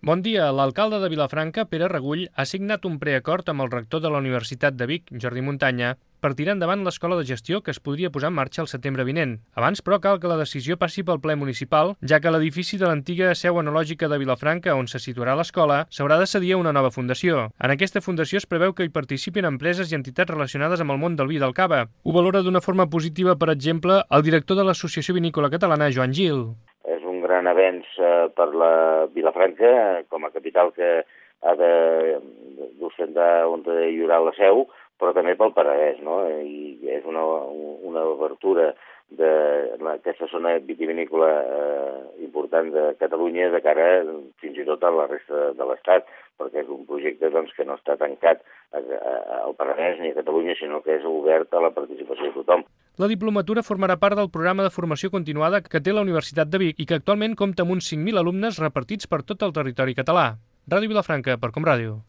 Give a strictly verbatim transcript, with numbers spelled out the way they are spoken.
Bon dia. L'alcalde de Vilafranca, Pere Regull, ha signat un preacord amb el rector de la Universitat de Vic, Jordi Muntanya, per tirar endavant l'escola de gestió que es podria posar en marxa el setembre vinent. Abans, però, cal que la decisió passi pel ple municipal, ja que l'edifici de l'antiga seu enològica de Vilafranca, on se situarà l'escola, s'haurà de cedir a una nova fundació. En aquesta fundació es preveu que hi participin empreses i entitats relacionades amb el món del vi i del cava. Ho valora d'una forma positiva, per exemple, el director de l'Associació Vinícola Catalana, Joan Gil. És un gran avenç eh, per la Vilafranca, com a capital que ha de d'ostentar on hi haurà la seu, però també pel Penedès, no? I és una, una obertura d'aquesta zona vitivinícola eh, important de Catalunya de cara fins i tot a la resta de l'Estat, perquè és un projecte doncs, que no està tancat a, a, al Penedès ni a Catalunya, sinó que és obert a la participació de tothom. La diplomatura formarà part del programa de formació continuada que té la Universitat de Vic i que actualment compta amb uns cinc mil alumnes repartits per tot el territori català. Ràdio Vilafranca, per Com Ràdio.